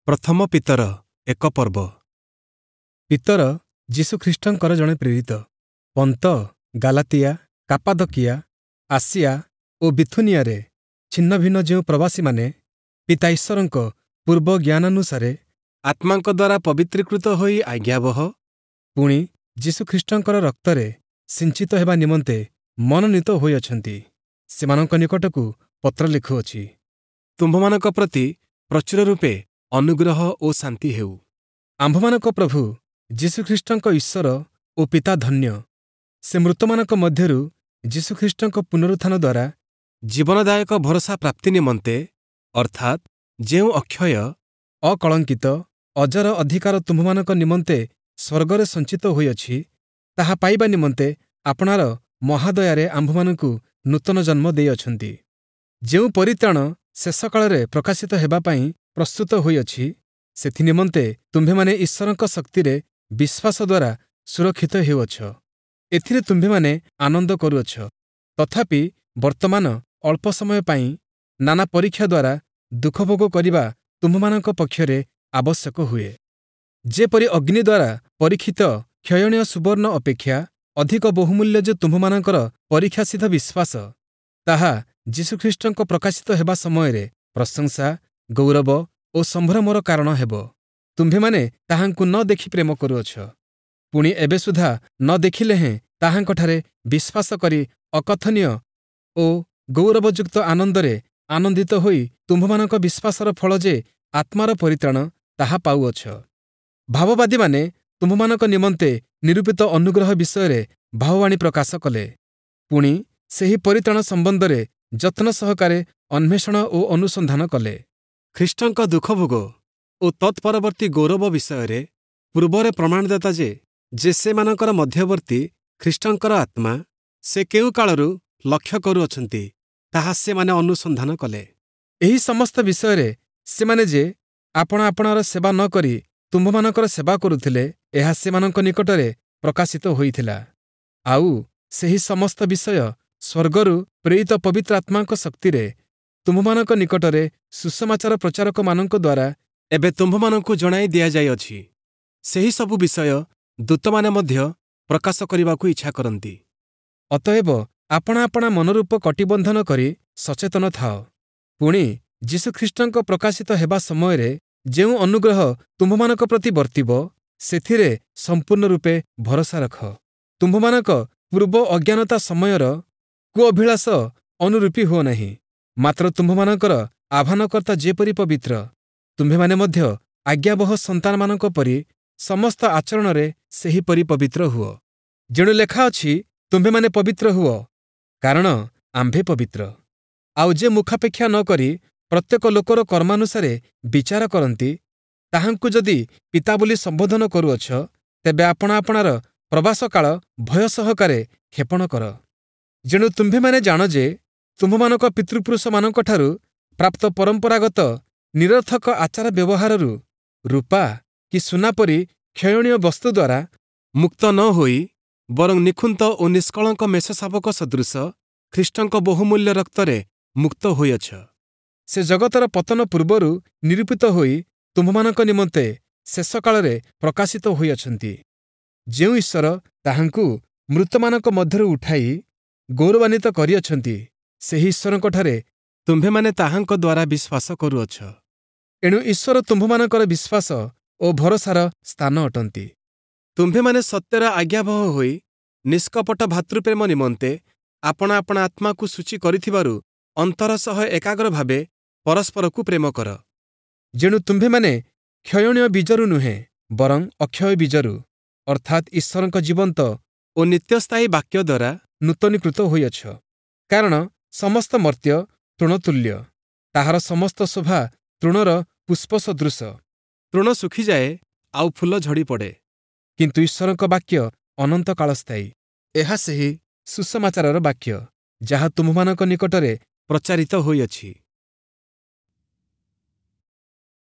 ପ୍ରଥମ ପିତର ଏକ ପର୍ବ। ପିତର ଯୀଶୁଖ୍ରୀଷ୍ଟଙ୍କର ଜଣେ ପ୍ରେରିତ, ପନ୍ତ, ଗାଲାତିଆ, କାପାଦକିଆ, ଆସିଆ ଓ ବିଥୁନିଆରେ ଛିନ୍ନଭିନ୍ନ ଯେଉଁ ପ୍ରବାସୀମାନେ ପିତା ଈଶ୍ୱରଙ୍କ ପୂର୍ବ ଜ୍ଞାନାନୁସାରେ ଆତ୍ମାଙ୍କ ଦ୍ୱାରା ପବିତ୍ରୀକୃତ ହୋଇ ଆଜ୍ଞାବହ, ପୁଣି ଯୀଶୁଖ୍ରୀଷ୍ଟଙ୍କର ରକ୍ତରେ ସିଞ୍ଚିତ ହେବା ନିମନ୍ତେ ମନୋନୀତ ହୋଇଅଛନ୍ତି, ସେମାନଙ୍କ ନିକଟକୁ ପତ୍ର ଲେଖୁଅଛି। ତୁମ୍ଭମାନଙ୍କ ପ୍ରତି ପ୍ରଚୁର ରୂପେ ଅନୁଗ୍ରହ ଓ ଶାନ୍ତି ହେଉ। ଆମ୍ଭମାନଙ୍କ ପ୍ରଭୁ ଯୀଶୁଖ୍ରୀଷ୍ଟଙ୍କ ଈଶ୍ୱର ଓ ପିତା ଧନ୍ୟ। ସେ ମୃତମାନଙ୍କ ମଧ୍ୟରୁ ଯୀଶୁଖ୍ରୀଷ୍ଟଙ୍କ ପୁନରୁତ୍ଥାନ ଦ୍ୱାରା ଜୀବନଦାୟକ ଭରସା ପ୍ରାପ୍ତି ନିମନ୍ତେ, ଅର୍ଥାତ୍ ଯେଉଁ ଅକ୍ଷୟ, ଅକଳଙ୍କିତ, ଅଜର ଅଧିକାର ତୁମ୍ଭମାନଙ୍କ ନିମନ୍ତେ ସ୍ୱର୍ଗରେ ସଞ୍ଚିତ ହୋଇଅଛି, ତାହା ପାଇବା ନିମନ୍ତେ ଆପଣାର ମହାଦୟାରେ ଆମ୍ଭମାନଙ୍କୁ ନୂତନ ଜନ୍ମ ଦେଇଅଛନ୍ତି। ଯେଉଁ ପରିତ୍ରାଣ ଶେଷକାଳରେ ପ୍ରକାଶିତ ହେବା ପାଇଁ ପ୍ରସ୍ତୁତ ହୋଇଅଛି, ସେଥିନିମନ୍ତେ ତୁମ୍ଭେମାନେ ଈଶ୍ୱରଙ୍କ ଶକ୍ତିରେ ବିଶ୍ୱାସ ଦ୍ୱାରା ସୁରକ୍ଷିତ ହେଉଅଛ। ଏଥିରେ ତୁମ୍ଭେମାନେ ଆନନ୍ଦ କରୁଅଛ, ତଥାପି ବର୍ତ୍ତମାନ ଅଳ୍ପ ସମୟ ପାଇଁ ନାନା ପରୀକ୍ଷା ଦ୍ୱାରା ଦୁଃଖଭୋଗ କରିବା ତୁମ୍ଭମାନଙ୍କ ପକ୍ଷରେ ଆବଶ୍ୟକ ହୁଏ। ଯେପରି ଅଗ୍ନି ଦ୍ୱାରା ପରୀକ୍ଷିତ କ୍ଷୟଣୀୟ ସୁବର୍ଣ୍ଣ ଅପେକ୍ଷା ଅଧିକ ବହୁମୂଲ୍ୟ ଯେ ତୁମ୍ଭମାନଙ୍କର ପରୀକ୍ଷାସିଦ୍ଧ ବିଶ୍ୱାସ, ତାହା ଯୀଶୁଖ୍ରୀଷ୍ଟଙ୍କ ପ୍ରକାଶିତ ହେବା ସମୟରେ ପ୍ରଶଂସା, ଗୌରବ ଓ ସମ୍ଭ୍ରମର କାରଣ ହେବ। ତୁମ୍ଭେମାନେ ତାହାଙ୍କୁ ନ ଦେଖି ପ୍ରେମ କରୁଅଛ। ପୁଣି ଏବେ ସୁଦ୍ଧା ନ ଦେଖିଲେ ହେଁ ତାହାଙ୍କଠାରେ ବିଶ୍ୱାସ କରି ଅକଥନୀୟ ଓ ଗୌରବଯୁକ୍ତ ଆନନ୍ଦରେ ଆନନ୍ଦିତ ହୋଇ ତୁମ୍ଭମାନଙ୍କ ବିଶ୍ୱାସର ଫଳ ଯେ ଆତ୍ମାର ପରିତ୍ରାଣ, ତାହା ପାଉଅଛ। ଭାବବାଦୀମାନେ ତୁମ୍ଭମାନଙ୍କ ନିମନ୍ତେ ନିରୂପିତ ଅନୁଗ୍ରହ ବିଷୟରେ ଭାବବାଣୀ ପ୍ରକାଶ କଲେ। ପୁଣି ସେହି ପରିତ୍ରାଣ ସମ୍ବନ୍ଧରେ ଯତ୍ନ ସହକାରେ ଅନ୍ୱେଷଣ ଓ ଅନୁସନ୍ଧାନ କଲେ। ଖ୍ରୀଷ୍ଟଙ୍କ ଦୁଃଖଭୋଗ ଓ ତତ୍ପରବର୍ତ୍ତୀ ଗୌରବ ବିଷୟରେ ପୂର୍ବରେ ପ୍ରମାଣଦାତା ଯେ ସେମାନଙ୍କର ମଧ୍ୟବର୍ତ୍ତୀ ଖ୍ରୀଷ୍ଟଙ୍କର ଆତ୍ମା, ସେ କେଉଁ କାଳରୁ ଲକ୍ଷ୍ୟ କରୁଅଛନ୍ତି, ତାହା ସେମାନେ ଅନୁସନ୍ଧାନ କଲେ। ଏହି ସମସ୍ତ ବିଷୟରେ ସେମାନେ ଯେ ଆପଣା ଆପଣାର ସେବା ନ କରି ତୁମ୍ଭମାନଙ୍କର ସେବା କରୁଥିଲେ, ଏହା ସେମାନଙ୍କ ନିକଟରେ ପ୍ରକାଶିତ ହୋଇଥିଲା। ଆଉ ସେହି ସମସ୍ତ ବିଷୟ ସ୍ୱର୍ଗରୁ ପ୍ରେରିତ ପବିତ୍ର ଆତ୍ମାଙ୍କ ଶକ୍ତିରେ ତୁମ୍ଭମାନଙ୍କ ନିକଟରେ ସୁସମାଚାର ପ୍ରଚାରକମାନଙ୍କ ଦ୍ୱାରା ଏବେ ତୁମ୍ଭମାନଙ୍କୁ ଜଣାଇ ଦିଆଯାଇଅଛି। ସେହି ସବୁ ବିଷୟ ଦୂତମାନେ ମଧ୍ୟ ପ୍ରକାଶ କରିବାକୁ ଇଚ୍ଛା କରନ୍ତି। ଅତଏବ ଆପଣା ଆପଣା ମନରୂପ କଟିବନ୍ଧନ କରି ସଚେତନ ଥାଅ। ପୁଣି ଯୀଶୁଖ୍ରୀଷ୍ଟଙ୍କ ପ୍ରକାଶିତ ହେବା ସମୟରେ ଯେଉଁ ଅନୁଗ୍ରହ ତୁମ୍ଭମାନଙ୍କ ପ୍ରତି ବର୍ତ୍ତିବ, ସେଥିରେ ସମ୍ପୂର୍ଣ୍ଣ ରୂପେ ଭରସା ରଖ। ତୁମ୍ଭମାନଙ୍କ ପୂର୍ବ ଅଜ୍ଞାନତା ସମୟର କୁଅଭିଳାଷ ଅନୁରୂପୀ ହୁଅ ନାହିଁ, ମାତ୍ର ତୁମ୍ଭମାନଙ୍କର ଆହ୍ୱାନକର୍ତ୍ତା ଯେପରି ପବିତ୍ର, ତୁମ୍ଭେମାନେ ମଧ୍ୟ ଆଜ୍ଞାବହ ସନ୍ତାନମାନଙ୍କ ପରି ସମସ୍ତ ଆଚରଣରେ ସେହିପରି ପବିତ୍ର ହୁଅ। ଯେଣୁ ଲେଖା ଅଛି, ତୁମ୍ଭେମାନେ ପବିତ୍ର ହୁଅ, କାରଣ ଆମ୍ଭେ ପବିତ୍ର। ଆଉ ଯେ ମୁଖାପେକ୍ଷା ନ କରି ପ୍ରତ୍ୟେକ ଲୋକର କର୍ମାନୁସାରେ ବିଚାର କରନ୍ତି, ତାହାଙ୍କୁ ଯଦି ପିତା ବୋଲି ସମ୍ବୋଧନ କରୁଅଛ, ତେବେ ଆପଣା ଆପଣାର ପ୍ରବାସକାଳ ଭୟ ସହକାରେ କ୍ଷେପଣ କର। ଯେଣୁ ତୁମ୍ଭେମାନେ ଜାଣ ଯେ ତୁମ୍ଭମାନଙ୍କ ପିତୃପୁରୁଷମାନଙ୍କଠାରୁ ପ୍ରାପ୍ତ ପରମ୍ପରାଗତ ନିରର୍ଥକ ଆଚାର ବ୍ୟବହାରରୁ ରୂପା କି ସୁନା ପରି କ୍ଷୟଣୀୟ ବସ୍ତୁ ଦ୍ୱାରା ମୁକ୍ତ ନ ହୋଇ, ବରଂ ନିଖୁନ୍ତ ଓ ନିଷ୍କଳଙ୍କ ମେଷଶାବକ ସଦୃଶ ଖ୍ରୀଷ୍ଟଙ୍କ ବହୁମୂଲ୍ୟ ରକ୍ତରେ ମୁକ୍ତ ହୋଇଅଛ। ସେ ଜଗତର ପତନ ପୂର୍ବରୁ ନିରୂପିତ ହୋଇ ତୁମ୍ଭମାନଙ୍କ ନିମନ୍ତେ ଶେଷକାଳରେ ପ୍ରକାଶିତ ହୋଇଅଛନ୍ତି। ଯେଉଁ ଈଶ୍ୱର ତାହାଙ୍କୁ ମୃତମାନଙ୍କ ମଧ୍ୟରୁ ଉଠାଇ ଗୌରବାନ୍ୱିତ କରିଅଛନ୍ତି, ସେହି ଈଶ୍ୱରଙ୍କଠାରେ ତୁମ୍ଭେମାନେ ତାହାଙ୍କ ଦ୍ୱାରା ବିଶ୍ୱାସ କରୁଅଛ। ଏଣୁ ଈଶ୍ୱର ତୁମ୍ଭମାନଙ୍କର ବିଶ୍ୱାସ ଓ ଭରସାର ସ୍ଥାନ ଅଟନ୍ତି। ତୁମ୍ଭେମାନେ ସତ୍ୟର ଆଜ୍ଞାବହ ହୋଇ ନିଷ୍କପଟ ଭାତୃପ୍ରେମ ନିମନ୍ତେ ଆପଣା ଆପଣା ଆତ୍ମାକୁ ସୂଚୀ କରିଥିବାରୁ ଅନ୍ତର ସହ ଏକାଗ୍ର ଭାବେ ପରସ୍ପରକୁ ପ୍ରେମ କର। ଯେଣୁ ତୁମ୍ଭେମାନେ କ୍ଷୟଣୀୟ ବୀଜରୁ ନୁହେଁ, ବରଂ ଅକ୍ଷୟ ବୀଜରୁ, ଅର୍ଥାତ୍ ଈଶ୍ୱରଙ୍କ ଜୀବନ୍ତ ଓ ନିତ୍ୟସ୍ଥାୟୀ ବାକ୍ୟ ଦ୍ୱାରା ନୂତନୀକୃତ ହୋଇଅଛ। କାରଣ ସମସ୍ତ ମର୍ତ୍ତ୍ୟ ତୃଣତୁଲ୍ୟ, ତାହାର ସମସ୍ତ ଶୋଭା ତୃଣର ପୁଷ୍ପ ସଦୃଶ। ତୃଣ ଶୁଖିଯାଏ ଆଉ ଫୁଲ ଝଡ଼ି ପଡ଼େ, କିନ୍ତୁ ଈଶ୍ୱରଙ୍କ ବାକ୍ୟ ଅନନ୍ତ କାଳସ୍ଥାୟୀ। ଏହା ସେହି ସୁସମାଚାରର ବାକ୍ୟ, ଯାହା ତୁମ୍ଭମାନଙ୍କ ନିକଟରେ ପ୍ରଚାରିତ ହୋଇଅଛି।